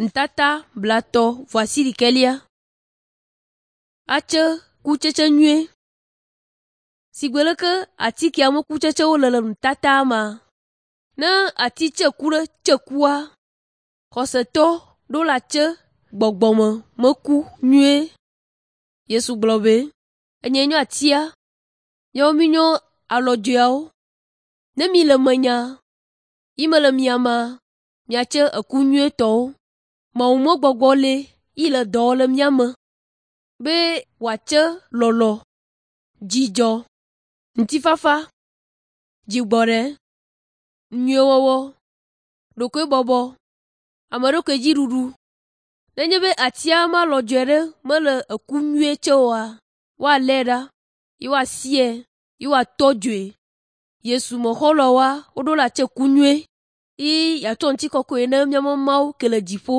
Ntata blatɔ vɔasiɖekɛlia. Atse kutsetse nyuie. Sigbe leke atikea me kutsetsewo le le nutata ma. Ne ati tseku ɖe tsekua, xɔsetɔ ɖo la tse gbɔgbɔme meku nyuie. Yesu gblɔ be, “Enye nyo atia, miawo minyo alɔdzoeawo. Ne mi le menya, yi mele mia mea, miatse eku nyuietɔwo. Mawu me gbɔgbɔ le yi le dɔ wɔm le mía me be wòatse lɔlɔ̃, dzidzɔ, ŋutifafa, dzigbɔɖe, nyuiewɔwɔ, ɖokuibɔbɔ, ame ɖokui dzi ɖuɖu. Nenye be atia me alɔdzoe aɖe mele eku nyuie tse oa, woalé ɖa ye woasie ye woatɔ dzoe. Yesu me xɔlɔ̃woa woɖo la tse ku nyuie ye yeatsɔ ŋutikɔkɔe ne míaƒe Mawu ke le dziƒo.